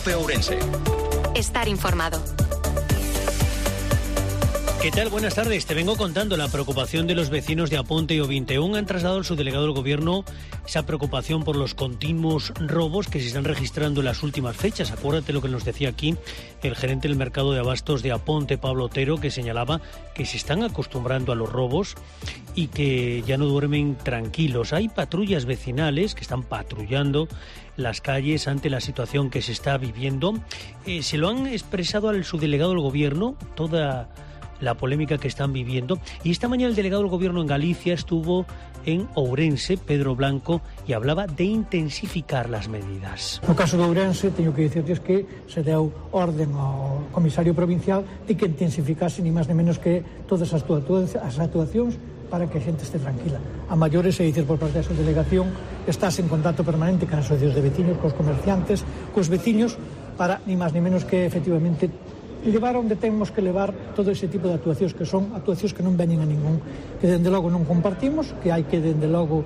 COPE Ourense. Estar informado. ¿Qué tal? Buenas tardes. Te vengo contando la preocupación de los vecinos de Aponte y O21. Han trasladado al subdelegado del Gobierno esa preocupación por los continuos robos que se están registrando en las últimas fechas. Acuérdate lo que nos decía aquí el gerente del mercado de abastos de Aponte, Pablo Otero, que señalaba que se están acostumbrando a los robos y que ya no duermen tranquilos. Hay patrullas vecinales que están patrullando las calles ante la situación que se está viviendo. Se lo han expresado al subdelegado del Gobierno, toda la polémica que están viviendo. Y esta mañana el delegado del Gobierno en Galicia estuvo en Ourense, Pedro Blanco, y hablaba de intensificar las medidas. No caso de Ourense, teño que dicirles que se deu orden ao comisario provincial de que intensificase ni máis ni menos que todas as actuacións para que a xente este tranquila. A maiores, é dicir, por parte da súa delegación, estás en contacto permanente con as asociacións de veciños, cos comerciantes, cos veciños, para ni máis ni menos que efectivamente levar onde temos que levar todo ese tipo de actuacións, que son actuacións que non veñen a ningún, que dende logo non compartimos, que hai que dende logo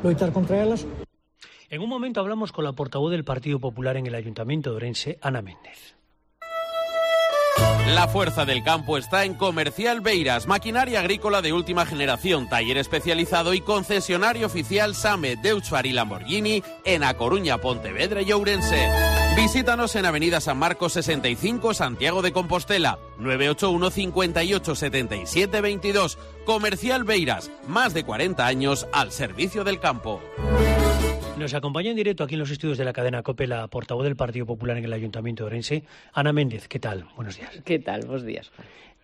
loitar contra elas. En un momento hablamos con la portavoz del Partido Popular en el Ayuntamiento de Ourense, Ana Méndez. La fuerza del campo está en Comercial Beiras, maquinaria agrícola de última generación, taller especializado y concesionario oficial SAME, Deutscher y Lamborghini en A Coruña, Pontevedra y Ourense. Visítanos en Avenida San Marcos 65, Santiago de Compostela, 981 58 77 22. Comercial Beiras, más de 40 años al servicio del campo. Nos acompaña en directo aquí en los estudios de la cadena COPE la portavoz del Partido Popular en el Ayuntamiento de Ourense, Ana Méndez. ¿Qué tal? Buenos días. ¿Qué tal? Buenos días.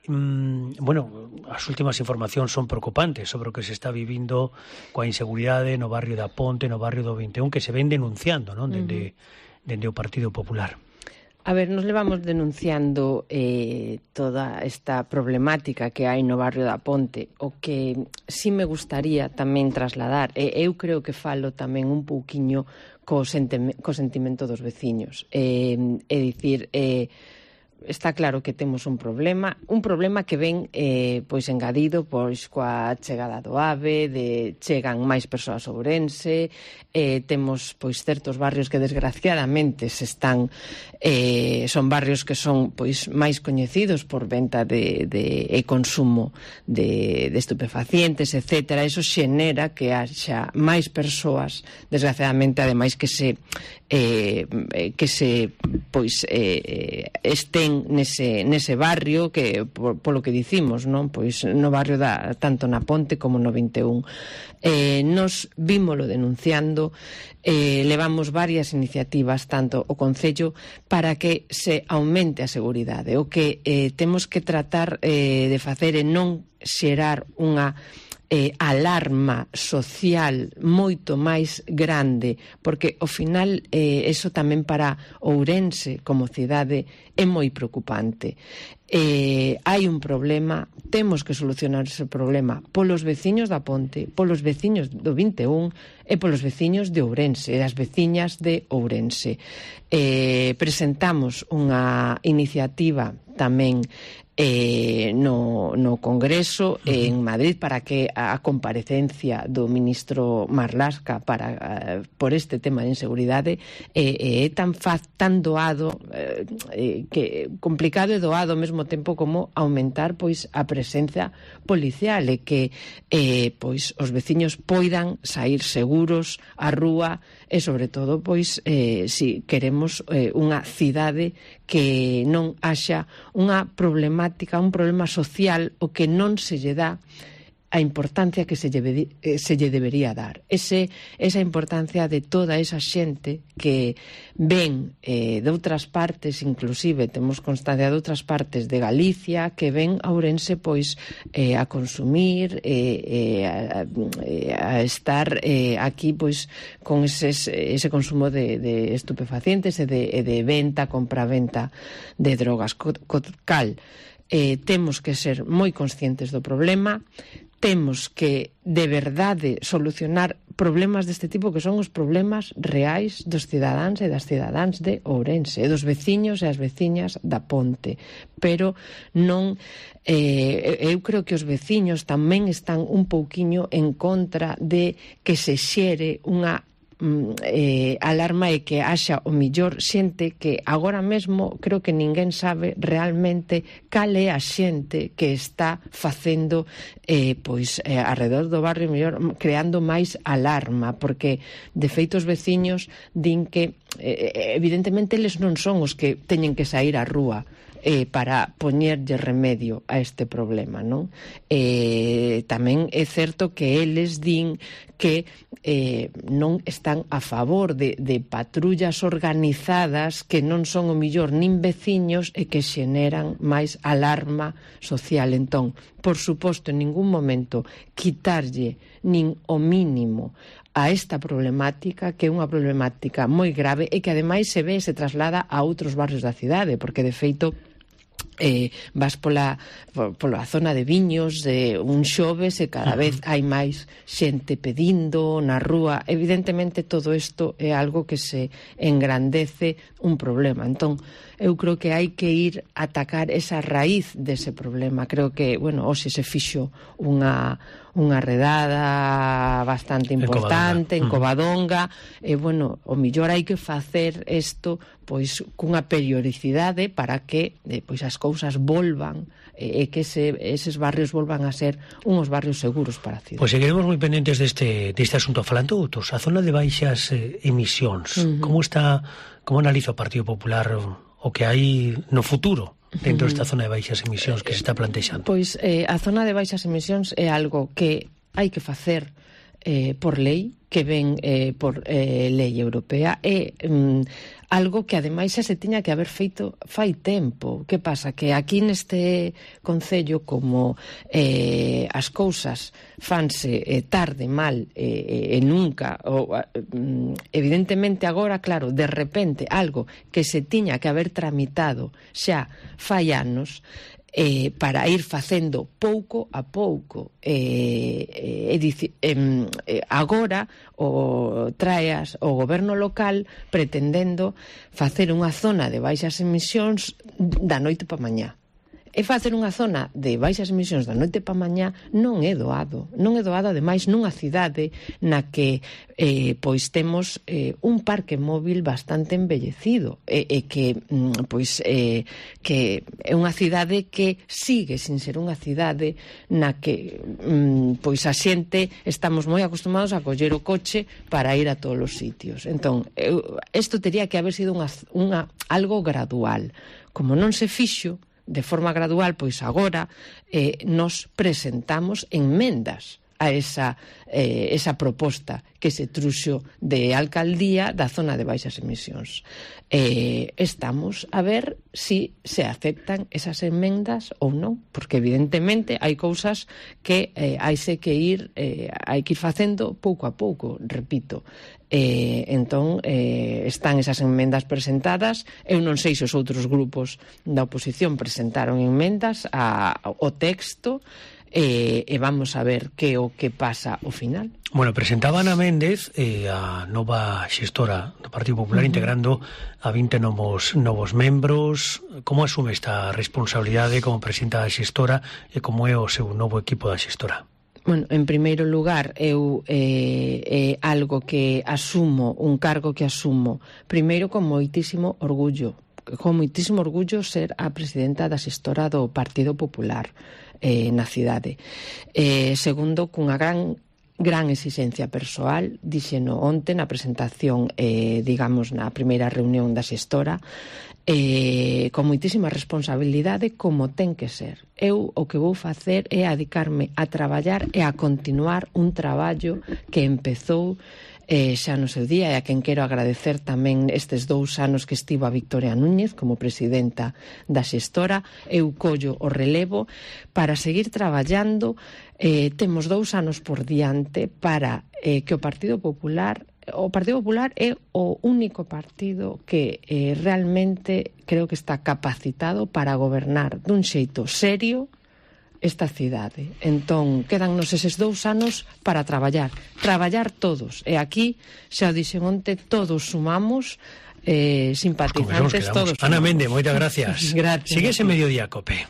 Bueno, as últimas informacións son preocupantes sobre o que se está vivindo coa inseguridade no barrio de Aponte, no barrio do 21, que se ven denunciando, non? Dende o Partido Popular. A ver, nos levamos denunciando toda esta problemática que hai no barrio da Ponte. O que sí me gustaría tamén trasladar, eu creo que falo tamén un pouquiño co sentimento dos veciños. É dicir, está claro que temos un problema que ven pois engadido pois coa chegada do AVE, chegan máis persoas a Ourense, temos pois certos barrios que desgraciadamente son barrios que son pois máis coñecidos por venta e consumo de estupefacientes, etcétera. Eso xenera que haxa máis persoas, desgraciadamente, ademais que se estén nese barrio, que polo que dicimos, non? Pois no barrio tanto na Ponte como no 21. Nos vímolo denunciando, levamos varias iniciativas, tanto o Concello, para que se aumente a seguridade. O que temos que tratar de facer é non xerar unha alarma social moito máis grande, porque ao final eso tamén para Ourense como cidade é moi preocupante. Hai un problema, temos que solucionar ese problema polos veciños da Ponte, polos veciños do 21 e polos veciños de Ourense e das veciñas de Ourense. Presentamos unha iniciativa tamén no Congreso en Madrid para que a comparecencia do ministro Marlaska por este tema de inseguridade é tan doado, que complicado e doado ao mesmo tempo como aumentar pois a presencia policial e que pois os veciños poidan saír seguros á rúa e sobre todo pois si queremos unha cidade que non haxa unha problemática, un problema social o que non se lle dá a importancia que se lle debería dar. Esa importancia de toda esa xente que ven de outras partes, inclusive temos constancia de outras partes de Galicia, que ven a Ourense pois a consumir, a estar aquí pois con ese consumo de estupefacientes e de venta, compra-venta de drogas. Cal, temos que ser moi conscientes do problema, temos que, de verdade, solucionar problemas deste tipo que son os problemas reais dos cidadáns e das cidadáns de Ourense, e dos veciños e as veciñas da Ponte. Pero non... eu creo que os veciños tamén están un pouquiño en contra de que se xere unha alarma é que haxa o millor xente que agora mesmo creo que ninguén sabe realmente cal é a xente que está facendo arredor do barrio mellor, creando máis alarma, porque de feito os veciños din que evidentemente eles non son os que teñen que sair á rúa para poñerlle remedio a este problema, non? Tamén é certo que eles din que non están a favor de patrullas organizadas que non son o millor nin veciños e que xeneran máis alarma social. Entón, por suposto, en ningún momento quitarlle nin o mínimo a esta problemática, que é unha problemática moi grave e que ademais se traslada a outros barrios da cidade, porque de feito vas pola zona de Viños un xoves e cada vez hai máis xente pedindo na rúa. Evidentemente todo isto é algo que se engrandece un problema. Entón, eu creo que hai que ir a atacar esa raíz dese problema. Creo que, hoxe se fixo unha redada bastante importante en Covadonga, o millor hai que facer isto cunha periodicidade para que as cousas volvan e que eses barrios volvan a ser uns barrios seguros para a cidade. Pois seguiremos moi pendentes deste asunto. Falando outros, a zona de baixas emisións, como analiza o Partido Popular o que hai no futuro dentro desta zona de baixas emisións que se está plantexando? Pois a zona de baixas emisións é algo que hai que facer por lei, que ven por lei europea, é algo que ademais xa se tiña que haber feito fai tempo. Que pasa? Que aquí neste concello, como as cousas fanse tarde, mal e nunca, evidentemente agora, claro, de repente algo que se tiña que haber tramitado xa fai anos, para ir facendo pouco a pouco, agora traeas o goberno local pretendendo facer unha zona de baixas emisións da noite pa mañá. E facer unha zona de baixas emisións da noite pa mañá non é doado. Non é doado, ademais, nunha cidade na que temos un parque móvil bastante embellecido e que é unha cidade que sigue sin ser unha cidade na que a xente estamos moi acostumados a coller o coche para ir a todos os sitios. Entón, isto teria que haber sido algo gradual. Como non se fixo de forma gradual, pois agora nos presentamos enmendas a esa proposta que se truxo de alcaldía da zona de baixas emisións. Estamos a ver si se aceptan esas enmendas ou non, porque evidentemente hai cousas que hai que ir facendo pouco a pouco, repito. Entón, están esas enmendas presentadas. Eu non sei se os outros grupos da oposición presentaron enmendas ao texto, e vamos a ver que o que pasa ao final. Bueno, presentaba Ana Méndez, a nova xestora do Partido Popular, integrando a 20 novos membros. Como asume esta responsabilidade como presidenta da xestora e como é o seu novo equipo da xestora? Bueno, en primeiro lugar, eu é algo que asumo, un cargo que asumo, primeiro con moitísimo orgullo ser a presidenta da xestora do Partido Popular na cidade. Segundo, cunha gran exixencia persoal, dixeno onte na presentación, na primeira reunión da xestora, con moitísima responsabilidade, como ten que ser. Eu o que vou facer é dedicarme a traballar e a continuar un traballo que empezou xa no seu día, e a quen quero agradecer tamén estes 2 anos que estivo a Victoria Núñez como presidenta da xestora. Eu collo o relevo para seguir traballando. Temos 2 anos por diante para que o Partido Popular é o único partido que realmente creo que está capacitado para gobernar dun xeito serio esta cidade. Entón, quedannos eses 2 anos para traballar todos. E aquí, xa o dixen onte, todos sumamos, simpatizantes, todos sumamos. Ana Méndez, moitas gracias. Gracias. Sigue ese Mediodía, Cope.